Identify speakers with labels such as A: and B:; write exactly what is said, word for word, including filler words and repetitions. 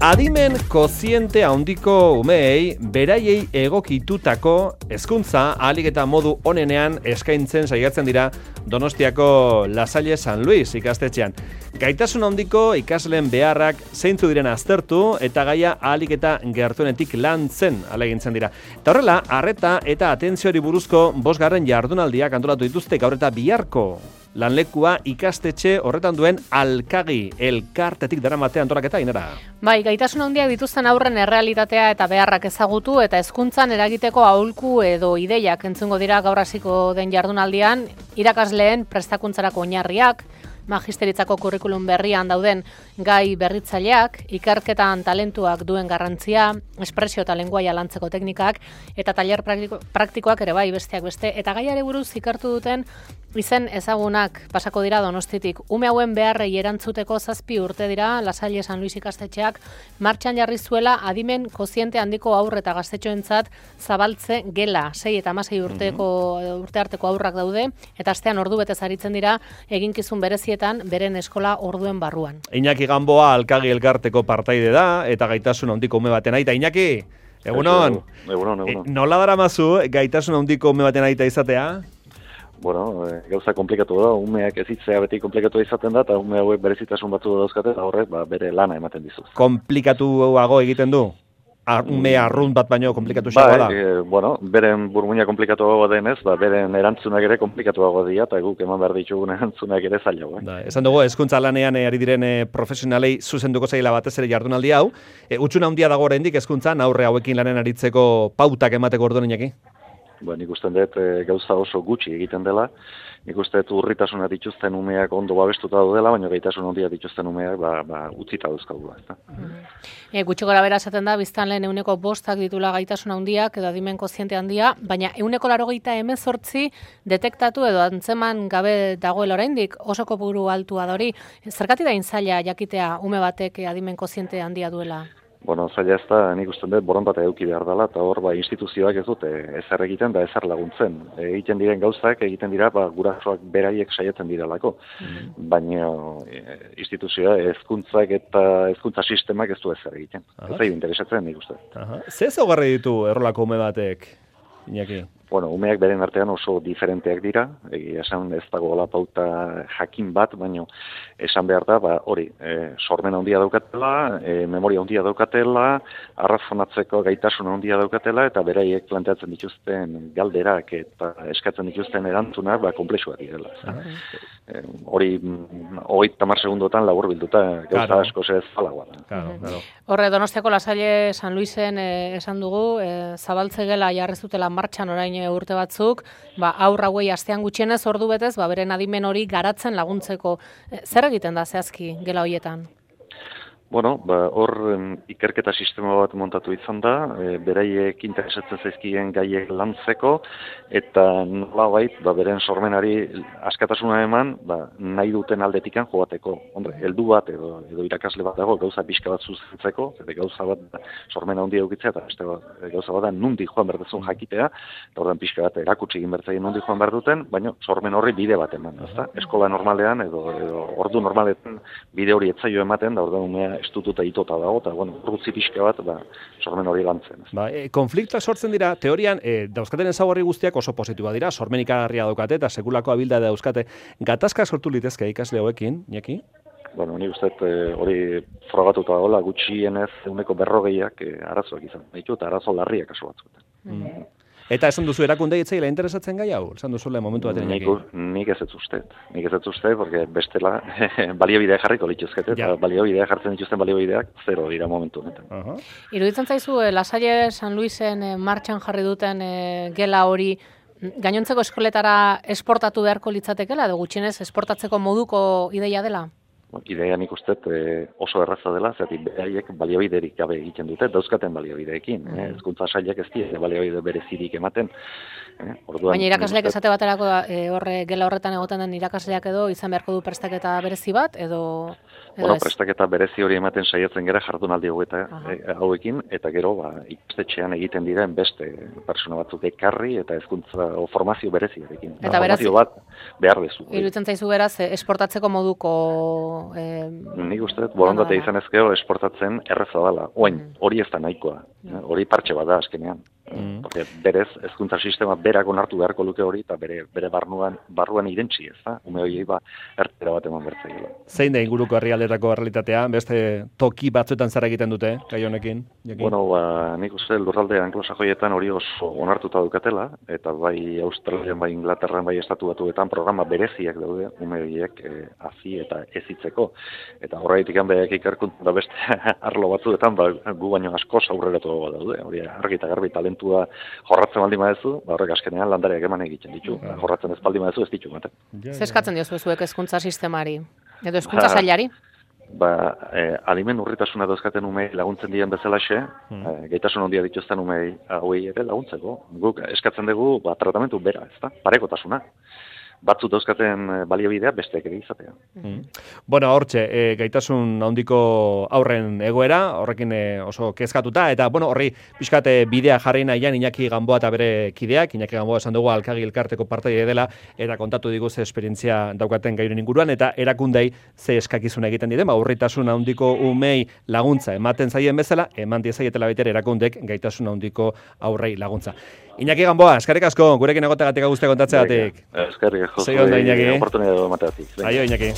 A: Adimen koziente handiko umeei beraiei egokitutako hezkuntza ahalik eta modu onenean eskaintzen saiatzen dira Donostiako La Salle San Luis ikastetxean. Gaitasun handiko ikasleen beharrak zeintzu diren aztertu eta gaia ahalik eta gertuenetik lantzen ahalegintzen dira. Eta horrela, arreta eta atentziori buruzko bosgarren jardunaldiak antolatu dituzte gaur eta biharko. Lanlekua ikastetxe horretan duen Alkagi elkartetik daramate antolaketa Ainara.
B: Bai, gaitasun handiak dituzten aurren errealitatea eta beharrak ezagutu eta hezkuntzan eragiteko aholku edo ideiak entzungo dira gaur hasiko den jardunaldian, irakasleen prestakuntzarako oinarriak, magisteritzako kurrikulum berrian dauden gai berritzaileak, ikerketan talentuak duen garrantzia, espresio eta lenguaia lantzeko teknikak eta tailer praktiko, praktikoak ere bai besteak beste eta gaiare buruz ikertu duten izen ezagunak pasako dira Donostitik. Ume hauen beharrei erantzuteko zazpi urte dira La Salle San Luis ikastetxeak martxan jarri zuela adimen koziente handiko aurre eta gaztetxoentzat zabaltze gela. Sei eta hamasei urteko urte arteko aurrak daude eta astean ordu betez aritzen dira eginkizun berezietan beren eskola orduen barruan.
A: Iñaki Gamboa Alkagi elkarteko partaide da eta gaitasun handiko ume baten aita. Iñaki, egunon.
C: Egunon, egunon.
A: E, nola daramazu gaitasun handiko ume baten aita izatea?
C: Bueno, e, gauza komplikatu da, umeak ezitzea beti komplikatu izaten da, eta ume hauek berezitasun batzu dauzkate, eta horrek ba, bere lana ematen dizu.
A: Komplikatuago egiten du? Ar, ume arrunt bat baino komplikatu xagoa da?
C: Ba, e, bueno, beren burmuina komplikatuago denez, ba, beren erantzunak ere komplikatuago dira, eta guk eman behar ditugun erantzunak ere zailago. Eh?
A: Da, esan dugu, hezkuntza lanean ari diren e, profesionalei zuzenduko zaila batez ere jardunaldi hau. E, Utxuna handia dago oraindik hezkuntzan aurre hauekin lanen aritzeko pautak emateko orduan Iñaki?
C: Ba, nik uste dut e, gauza oso gutxi egiten dela, nik uste dut urritasuna dituzten umeak ondo babestuta daudela, baina gaitasun handia dituzten umeak ba, ba, utzita dauzkagula.
B: E, gutxi gora bera esaten da, biztan lehen euneko bostak ditula gaitasun handiak edo adimen koziente handia, baina euneko larogeita hemezortzi detektatu edo antzeman gabe dagoela oraindik oso kopuru altua da hori. Zergatik da zaila jakitea ume batek adimen koziente handia duela?
C: Bueno, zaila ez da, nik uste dut borondatea eduki behar dela, eta hor ba, instituzioak ez dute ezer egiten da ezer laguntzen. Egiten diren gauzak, egiten dira, ba, gurasoak beraiek saiatzen direlako. Mm. Baina e, instituzioa, hezkuntzak eta hezkuntza sistemak ez du ezer egiten. Aha. Ez da interesatzen nik uste.
A: Ze ezaugarri ditu errolako ume batek, Iñaki?
C: Bueno, umeak beren artean oso diferenteak dira, egia esan ez dagoela pauta jakin bat, baina esan behar da, ba, hori, e, sormen handia daukatela, e, memoria handia daukatela, arrazonatzeko gaitasun handia daukatela, eta beraiek planteatzen dituzten galderak eta eskatzen dituzten erantzunak, ba, komplexuak direla. E, hori, hori tamar segundotan labur bilduta, gauza claro. Asko ez zalagoa.
A: Claro, claro.
B: Horre, Donostiako La Salle San Luisen eh, esan dugu, eh, zabaltze gela jarri zutela martxan orain urte batzuk, ba, aur hauei astean gutxienez ordu betez, ba, beren adimen hori garatzen laguntzeko. E, zer egiten da zehazki gela horietan?
C: Bueno, ba, hor ikerketa sistema bat montatu izan da, e, beraiek interesatzen zaizkien gaiek lantzeko, eta nolabait, ba, beren sormenari askatasuna eman, ba, nahi duten aldetikan joateko. Hombre, heldu bat edo, edo irakasle bat dago, gauza pixka bat zuzentzeko, eta gauza bat sormena handia eukitzea, eta beste bat, gauza bat da nundi joan berdezun jakitea, eta ordan pixka bat erakutsi egin bertzaien nundi joan behar duten, baina sormen horri bide bat eman. Ezta? Eskola normalean edo, edo ordu normaletan bide hori etzaio ematen, da ordan umea estututa itota dago, eta bueno, urrutzi pixka bat, ba, sormen hori lantzen.
A: Ba, e, konfliktoak sortzen dira, teorian, e, dauzkaten ezaugarri guztiak oso positiboa dira, sormen ikagarria daukate, eta sekulako abilda dauzkate. Gatazka sortu litezke ikasle hauekin, Iñaki?
C: Bueno, ni uste hori frogatuta dagoela, gutxienez eguneko berrogeiak e, arazoak izan ditu, eta arazo larriak kasu batzuetan.
A: Mm. Eta esan duzu erakunde itzaila interesatzen gai hau? Esan duzu lehen momentu batean
C: Iñaki? Nik ez ez uste. Nik ez ez uste, porque bestela baliabidea jarriko lituzkete, eta baliabidea jartzen dituzten baliobideak zero dira momentu honetan. Uh -huh.
B: Iruditzen zaizu, eh, La Salle San Luisen eh, martxan jarri duten eh, gela hori gainontzeko eskoletara esportatu beharko litzatekela, edo gutxienez esportatzeko moduko ideia dela?
C: Ideia nik uste e, oso erraza dela, zertik beraiek baliabiderik gabe egiten dute, dauzkaten baliabideekin. Mm. Eh, Hezkuntza sailak ez dira baliabide berezirik ematen. Eh, orduan,
B: Baina irakasleak esate baterako e, horre gela horretan egoten den irakasleak edo izan beharko du prestaketa berezi bat, edo... edo
C: bueno,
B: ez?
C: prestaketa berezi hori ematen saiatzen gara jardunaldi hauekin, eta gero ba, ikastetxean egiten diren beste persona batzuk ekarri eta hezkuntza o formazio bereziarekin.
B: Eta beraz,
C: formazio bat behar dezu.
B: Iruditzen zaizu beraz, esportatzeko moduko Eh,
C: Nik uste, borondatea izan ezkeo esportatzen erreza dela. Oain, hori ez da nahikoa. Hori partxe bat da azkenean. Mm. Porque berez, hezkuntza sistema berak onartu beharko luke hori, eta bere, bere barruan, barruan irentzi ez da. Ume horiei ba, ertera bat eman bertzaile.
A: Zein da inguruko herrialdetako realitatea? Beste toki batzuetan zer egiten dute, gai honekin? Jakin?
C: Bueno, ba, nik uste lurralde anglosajoietan hori oso onartuta dukatela, eta bai Australian, bai Inglaterran, bai estatu batuetan programa bereziak daude, ume horiek eh, hazi eta ezitzeko. Eta horretik hanbeak ikerkuntza da beste arlo batzuetan, ba, gu baino asko aurreratu daude. Hori argi eta garbi talentua jorratzen baldin badezu, ba, horrek askenean landareak eman egiten ditu. Ba, jorratzen ez baldin badezu ez ditu ematen.
B: Zer eskatzen diozu zuek hezkuntza sistemari? Edo hezkuntza sailari?
C: Ba, eh, alimen urritasuna dauzkaten umei laguntzen dien bezalaxe, hmm. eh, gaitasun handia dituzten umei hauei ere laguntzeko. Guk eskatzen dugu ba, tratamentu bera, ez da? Parekotasuna. Batzu dauzkaten baliabidea besteak ere izatea.
A: Mm. Bueno, hortxe, e, gaitasun handiko aurren egoera, horrekin e, oso kezkatuta, eta bueno, horri pixkat bidea jarri nahian Iñaki Gamboa eta bere kideak, Iñaki Gamboa esan dugu Alkagi elkarteko partaide dela, eta kontatu digu ze esperientzia daukaten gairen inguruan, eta erakundei ze eskakizun egiten dide, aurritasun handiko umei laguntza ematen zaien bezala, eman diezaietela baitere erakundek gaitasun handiko aurrei laguntza. Iñaki Gamboa, eskerrik asko, gurekin egoteagatik guztia kontatzeagatik.
C: Eskerrik asko.
A: Zei onda, Iñaki.
C: Oportunidad emateagatik.
A: Aio, Iñaki.